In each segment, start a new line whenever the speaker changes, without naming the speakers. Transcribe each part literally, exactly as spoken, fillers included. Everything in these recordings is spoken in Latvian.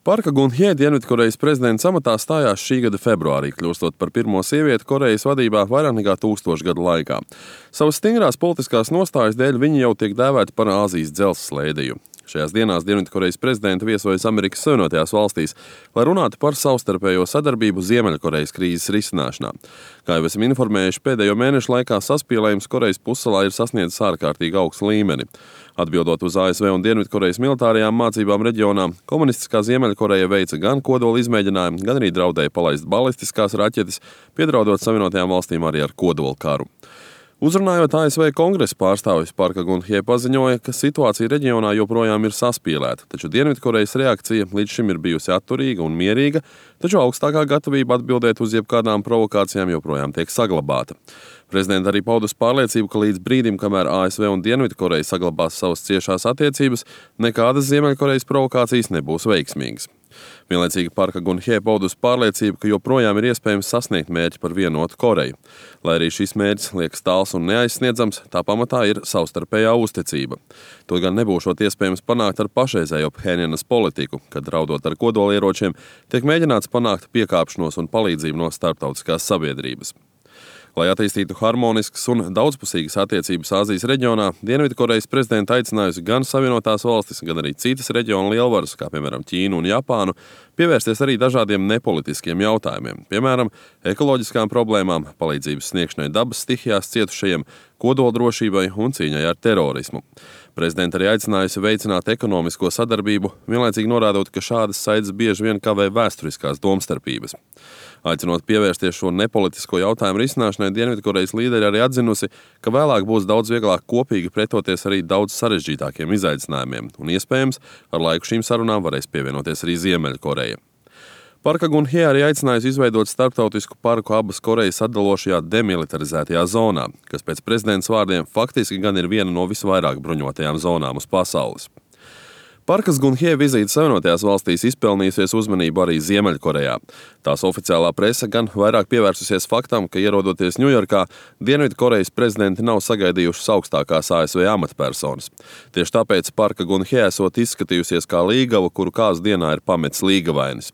Parka Gun-hje Dienvidkorejas prezidents amatā stājās šī gada februārī, kļūstot par pirmo sievieti Korejas vadībā vairāk nekā tūkstošu gadu laikā. Savas stingrās politiskās nostājas dēļ viņa jau tiek dēvēta par Āzijas dzelzceļa. Šajās dienās Dienvidkorejas prezidenta viesojas Amerikas Savienotajās valstīs, lai runātu par savstarpējo sadarbību Ziemeļkorejas krīzes risināšanā. Kā jau esam informējuši, pēdējo mēnešu laikā saspīlējums Korejas pussalā ir sasniedzis ārkārtīgi augstu līmeni. Atbildot uz A S V un Dienvidkorejas militārajām mācībām reģionā, komunistiskā Ziemeļkoreja veica gan kodola izmēģinājumu, gan arī draudēja palaist balistiskās raķetes, piedraudot Savienotajām valstīm arī ar kodola karu. Uzrunājot A S V kongresa pārstāvis, Parka Gun-hje paziņoja, ka situācija reģionā joprojām ir saspīlēta, taču Dienvidkorejas reakcija līdz šim ir bijusi atturīga un mierīga, taču augstākā gatavība atbildēt uz jebkādām provokācijām joprojām tiek saglabāta. Prezidenta arī paudus pārliecību, ka līdz brīdim, kamēr A S V un Dienvidkoreja saglabās savas ciešās attiecības, nekādas Ziemeļkorejas provokācijas nebūs veiksmīgas. Vienlaicīgi Parka Gun-hje paudus pārliecību, ka joprojām ir iespējams sasniegt mērķi par vienotu Koreju. Lai arī šis mērķis liekas tāls un neaizsniedzams, tā pamatā ir savstarpējā uzticība. To gan nebūšot iespējams panākt ar pašreizējo Phenjanas politiku, kad draudot ar kodolieročiem, tiek mēģināts panākt piekāpšanos un palīdzību no starptautiskās sabiedrības. Lai attīstītu harmoniskas un daudzpusīgas attiecības Āzijas reģionā, Dienvidkorejas prezidenta aicinājusi gan Savienotās valstis, gan arī citas reģiona lielvaras, kā piemēram Ķīnu un Japānu, pievērsties arī dažādiem nepolitiskiem jautājumiem, piemēram, ekoloģiskām problēmām, palīdzības sniegšanai dabas stihijās cietušajiem, kodoldrošībai un cīņai ar terorismu. Prezidenta arī aicinājusi veicināt ekonomisko sadarbību, vienlaicīgi norādot, ka šādas saites bieži vien kavē vēsturiskās domstarpības. Aicinot pievērsties šo nepolitisko jautājumu risināšanai, Dienvidkorejas līderi arī atzinusi, ka vēlāk būs daudz vieglāk kopīgi pretoties arī daudz sarežģītākiem izaicinājumiem, un iespējams, ar laiku šīm sarunām varēs pievienoties arī Ziemeļkoreja. Parka Gun-hje arī aicinājusi izveidot starptautisku parku abas Korejas atdalošajā demilitarizētajā zonā, kas pēc prezidents vārdiem faktiski gan ir viena no visvairāk bruņotajām zonām uz pasaules. Parkas Gun-hje vizīte Savienotajās valstīs izpelnījusies uzmanību arī Ziemeļkorejā. Tās oficiālā prese gan vairāk pievērsusies faktam, ka ierodoties Ņujorkā, Dienvidkorejas prezidenti nav sagaidījušas augstākās A S V amatpersonas. Tieši tāpēc Parka Gun-hje esot izskatījusies kā līgava, kuru kāzu dienā ir pametis līgavainis.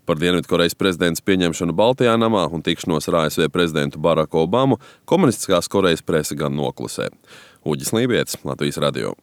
Par Dienvidkorejas prezidents pieņemšanu Baltajā namā un tikšanos ar A S V prezidentu Baraku Obamu komunistiskās Korejas prese gan noklusē. Uģis Lībietis, Latvijas radio.